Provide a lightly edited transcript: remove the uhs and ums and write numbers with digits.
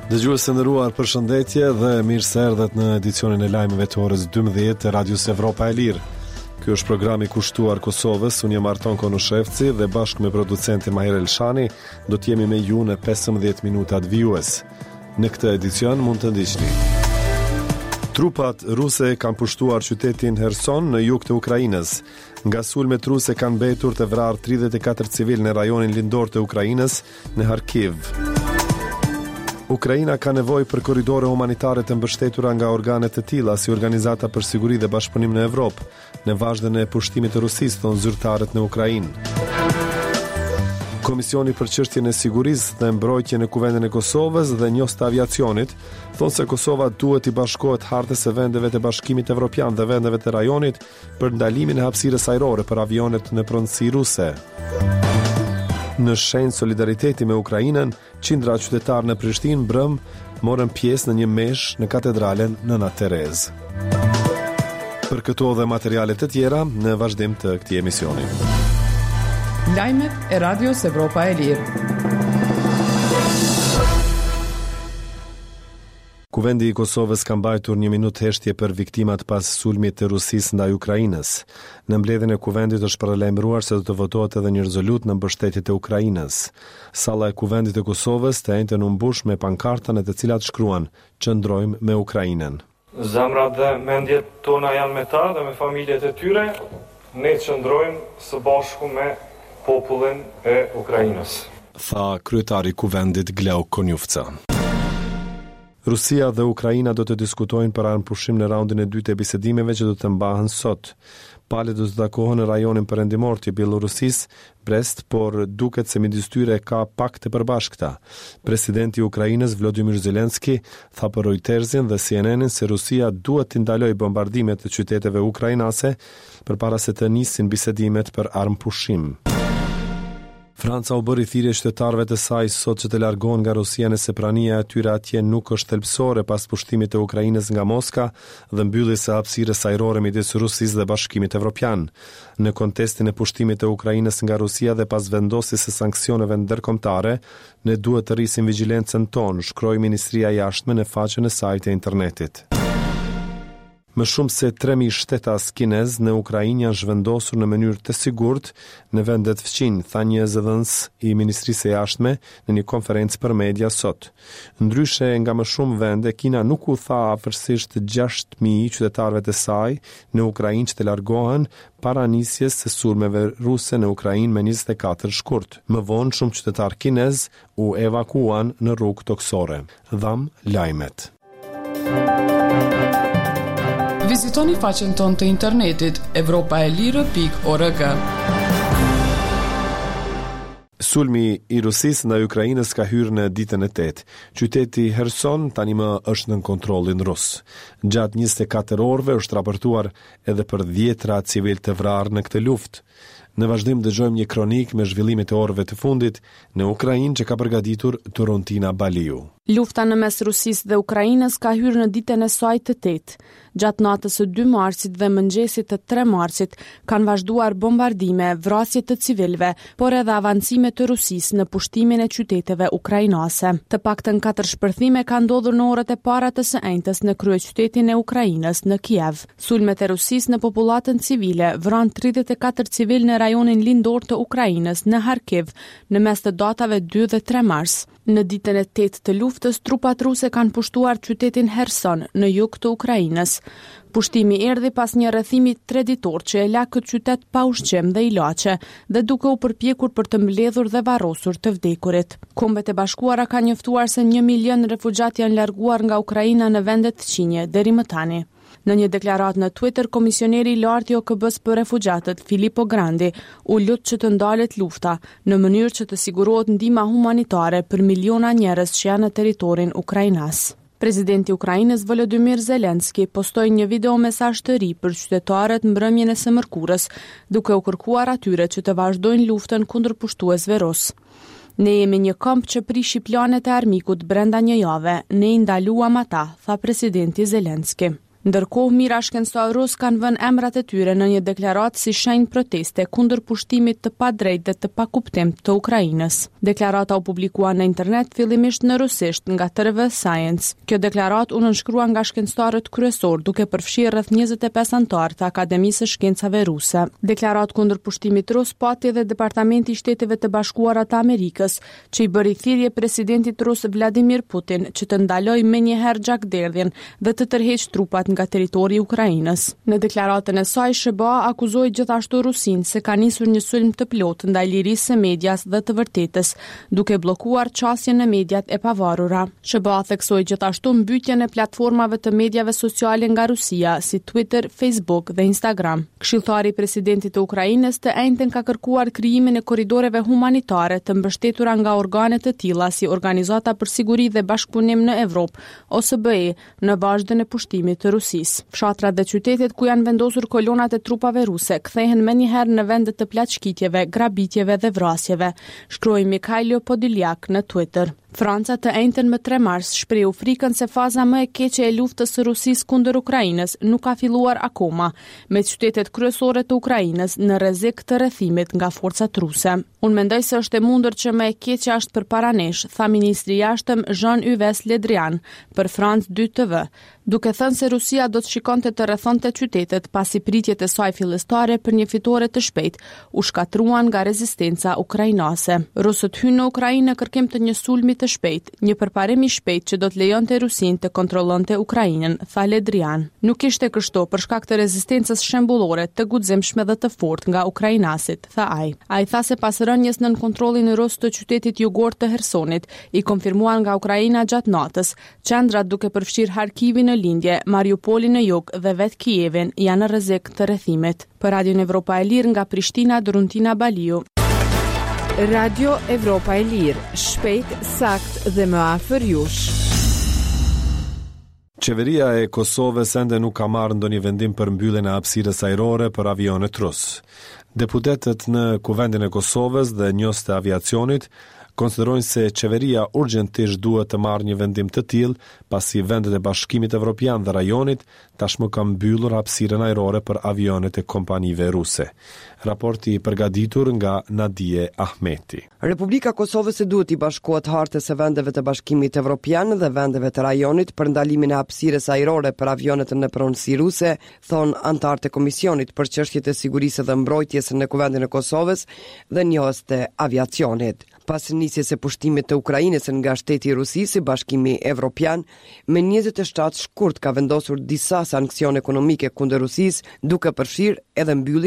Dëgjues të nderuar, përshëndetje dhe mirë se erdhët në edicionin e lajmeve të orës 12 të Radios Evropa e Lirë. Ky është programi kushtuar Kosovës, unë jam Arton Konushevci dhe bashkë me producentin Mahir Elshani do të jemi me ju në 15 minutat vijues. Në këtë edicion mund të ndiqni. Trupat ruse kanë pushtuar qytetin Herson në jug të Ukrainës. Nga sulmet ruse kanë mbetur të vrarë 34 civilë në rajonin lindor të Ukrainës, në Harkiv. Ukraina ka nevojë për korridore humanitare të mbështetura nga organe të tilla si Organizata për Siguri dhe Bashkëpunim në Evropë, në vazhdën e pushtimit të Rusisë, thonë zyrtarët në Ukrainë. Komisioni për çështjen e sigurisë dhe mbrojtjen në Kuvendin e Kosovës dhe njohës të aviacionit thonë se Kosova duhet t'i bashkohet hartës së vendeve të Bashkimit Evropian dhe vendeve të rajonit për ndalimin e hapësirës ajrore për avionët në pronësi ruse. Në shenjë solidariteti me Ukrainën, qindra qytetarë në Prishtinë mbrëmë morën pjesë në një meshë në katedralen Nëna Terezë. Për këto dhe materiale të tjera në vazhdim të këtij emisioni. Lajmet e Radios Evropa e Lirë. Kuvendi i Kosovës ka mbajtur një minutë heshtje për viktimat pas sulmit të Rusisë ndaj Ukrainës. Në mbledhjen e Kuvendit është paralajmëruar se do të votohet edhe një rezolutë në mbështetje të Ukrainës. Salla e Kuvendit të Kosovës të enjten u mbush me pankarta në të cilat shkruan Qëndrojmë me Ukrainën. Zemrat dhe mendjet tona janë me ta dhe me familjet e tyre, ne qëndrojmë së bashku me popullin e Ukrainës. Tha kryetari i Kuvendit Glauk Konjufca. Rusia dhe Ukraina do të diskutojnë për armëpushim në raundin e dytë të bisedimeve që do të mbahen sot. Palët do të takohen në rajonin perëndimor të Bjellorusisë, Brest, por duket se midis tyre ka pak të përbashkëta. Presidenti i Ukrainës, Vlodimir Zelensky, tha për Reutersin dhe CNN-in se Rusia duhet t'i ndalojë bombardimet e qyteteve ukrainase përpara se të nisin bisedimet për armëpushim. Franca u bëri thirrje qytetarëve të saj sot që të largohen nga Rusia nëse prania e tyre atje nuk është thelbësore pas pushtimit të Ukrainës nga Moska dhe mbylljes së hapësirës ajrore midis Rusisë dhe Bashkimit Evropian. Në kontestin e pushtimit të Ukrainës nga Rusia dhe pas vendosjes së sanksioneve ndërkombëtare, ne duhet të rrisim vigjilencën tonë, shkroi Ministria e Jashtme në faqen e saj të internetit. Më shumë se 3.000 shtetas kinez në Ukrainë janë zhvendosur në mënyrë të sigurt në vendet fqinj, tha një zëdhënës i Ministrisë së Jashtme në një konferencë për media sot. Ndryshe nga më shumë vende, Kina nuk u tha afërsisht 6.000 qytetarëve të saj në Ukrainë që të largohen para nisjes së sulmeve ruse në Ukrainë më 24 shkurt. Më vonë shumë qytetarë kinez u evakuuan në rrugë tokësore. Dhamë lajmet. Vizitoni faqen tonë të internetit evropaelire.org. Sulmi i Rusisë ndaj Ukrainës ka hyrë në ditën e tetë. Qyteti Herson tani më është nën kontrollin rus. Gjatë 24 orëve është raportuar edhe për dhjetra civilë të vrarë në këtë luftë. Në vazhdim dëgjojmë një kronikë me zhvillimet e orëve të fundit në Ukrainë që ka përgatitur Doruntina Baliu. Lufta në mes Rusisë dhe Ukrainës ka hyrë në ditën e saj të tetë. Gjatë natës së 2 marsit dhe mëngjesit të 3 marsit kanë vazhduar bombardime, vrasje të civilëve, por edhe avancime të Rusisë në pushtimin e qyteteve ukrainase. Të paktën katër shpërthime kanë ndodhur në orët e para të së enjtes në kryeqytetin e Ukrainës, në Kiev. Sulmet e Rusisë në popullatën civile vranë 34 civilë në rajonin lindor të Ukrainës, në Harkiv, në mes të datave 2 dhe 3 mars. Në ditën e tetë të luftës, trupat ruse kanë pushtuar qytetin Herson, në jug të Ukrainës. Pushtimi erdhi pas një rrethimi treditor që e la këtë qytet pa ushqim dhe ilaçe dhe duke u përpjekur për të mbledhur dhe varrosur të vdekurit. Kombet e Bashkuara kanë njoftuar se një milion refugjatë janë larguar nga Ukraina në vendet fqinje deri më tani. Në një deklaratë në Twitter, komisioneri i lartë i OKB-së për refugjatët, Filippo Grandi, u lut që të ndalet lufta, në mënyrë që të sigurohet ndihma humanitare për miliona njerëz që janë në territorin ukrainas. Presidenti i Ukrainës Volodymyr Zelensky postoi një video mesazh të ri për qytetarët mbrëmjen e së mërkurës, duke u kërkuar atyre që të vazhdojnë luftën kundër pushtuesve rusë. Ne jemi një komb që prishi planet e armikut brenda një jave, ne i ndaluam ata, tha presidenti Zelensky. Ndërkohë, mijëra shkencëtarë rusë kanë vënë emrat e tyre në një deklaratë si shenjë proteste kundër pushtimit të padrejtë dhe të pakuptimtë të Ukrainës. Deklarata u publikua në internet fillimisht në rusisht nga TV Science. Kjo deklaratë u nënshkrua nga shkencëtarët kryesorë, duke përfshirë rreth 25 anëtarë të Akademisë së Shkencave Ruse. Deklaratë kundër pushtimit rus pati edhe Departamenti i Shteteve të Bashkuara të Amerikës, që i bëri thirrje presidentit rus Vladimir Putin që të ndalojë menjëherë gjakderdhjen dhe të tërheqë trupat nga territori i Ukrainës. Në deklaratën e saj, SHBA akuzoi gjithashtu Rusinë se ka nisur një sulm të plotë ndaj lirisë së medias dhe të vërtetës, duke bllokuar qasjen në mediat e pavarura. SHBA theksoi gjithashtu mbytjen e platformave të mediave sociale nga Rusia, si Twitter, Facebook dhe Instagram. Këshilltari i presidentit të Ukrainës të enjten ka kërkuar krijimin e korridoreve humanitare të mbështetura nga organe të tilla si Organizata për Siguri dhe Bashkëpunim në Evropë, OSBE, në vazhdën e pushtimit të Rusisë. Fshatrat dhe qytetet ku janë vendosur kolonat e trupave ruse kthehen menjëherë në vende të plaçkitjeve, grabitjeve dhe vrasjeve, shkroi Mikhailo Podolyak në Twitter. Franca të enjten më 3 mars shprehu frikën se faza më e keqe e luftës së Rusisë kundër Ukrainës nuk ka filluar akoma, me qytetet kryesore të Ukrainës në rrezik të rrethimit nga forcat ruse. Unë mendoj se është e mundur që më e keqja është përpara nesh, tha ministri i jashtëm Jean-Yves Le Drian për France 2 TV, duke thënë se Rusia do të shikonte të rrethonte qytetet pasi pritjet e saj fillestare për një fitore të shpejtë u shkatërruan nga rezistenca ukrainase. Rusët hynë në Ukrainë në kërkim të një sulmi të shpejtë, një përparim i shpejtë që do të lejonte Rusinë të kontrollonte Ukrainën, tha Le Drian. Nuk ishte kështu për shkak të rezistencës shembullore, të guximshme dhe të fortë nga ukrainasit, tha ai. Ai tha se pas rënies nën kontrollin rus të qytetit jugor të Hersonit, i konfirmuar nga Ukraina gjatë natës, Qendrat duke përfshirë Harkivin në lindje, Mariupolin në jug dhe vetë Kievin janë në rrezik të rrethimit. Për Radion Evropa e Lirë nga Prishtina, Doruntina Baliu. Radio Evropa e Lirë, shpejt, saktë dhe më afër jush. Qeveria e Kosovës ende nuk ka marrë ndonjë vendim për mbylljen e hapësirës ajrore për avionët rusë. Deputetët në Kuvendin e Kosovës dhe njohësit e aviacionit konsiderojnë se qeveria urgjentisht duhet të marrë një vendim të tillë, pasi vendet e Bashkimit Evropian dhe rajonit tashmë kanë mbyllur hapësirën ajrore për avionët e kompanive ruse. Raporti i përgatitur nga Nadie Ahmeti. Republika e Kosovës duhet t'i bashkohet hartës së vendeve të Bashkimit Evropian dhe vendeve të rajonit për ndalimin e hapësirës ajrore për avionët në pronësi ruse, thonë anëtarët e Komisionit për Çështjet e Sigurisë dhe Mbrojtjes në Kuvendin e Kosovës dhe njohës të aviacionit. Pas nisjes së pushtimit të Ukrainës nga shteti i Rusisë, Bashkimi Evropian më 27 shkurt ka vendosur disa sanksione ekonomike kundër Rusisë, duke përfshirë edhe mbylljen.